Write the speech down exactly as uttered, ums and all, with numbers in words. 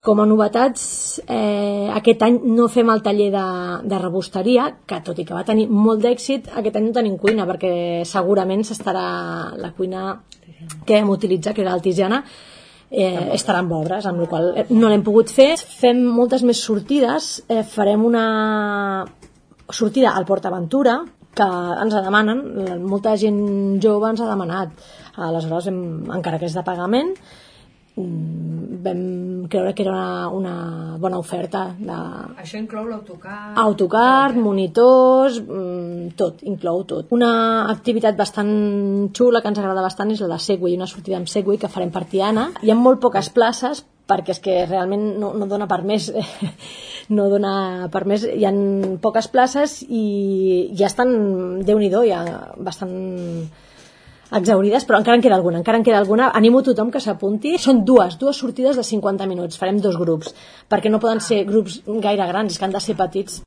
Com a novetats, eh, aquest any no fem el taller de, de rebosteria, que tot i que va tenir molt d'èxit, aquest any no tenim cuina, perquè segurament s'estarà la cuina que vam utilitzar, que era la Tiziana, eh, estarà amb obres, amb la qual no l'hem pogut fer. Fem moltes més sortides, eh, farem una sortida al Port Aventura, que ens la demanen, molta gent jove ens ha demanat, aleshores hem, encara que és de pagament, vam creure que era una, una bona oferta de... Això inclou l'autocar... autocar, monitors, tot, inclou tot. Una activitat bastant xula que ens agrada bastant és la de Segway, una sortida amb Segway que farem per Tiana. Hi ha molt poques places perquè és que realment no, no dona per més no dona per més, hi ha poques places i ja estan, Déu-n'hi-do, ja bastant exaurides, però encara en queda alguna, encara en queda alguna. Animo a tothom que s'apunti. Són dues, dues sortides de cinquanta minuts, farem dos grups, perquè no poden ser grups gaire grans, és que han de ser petits.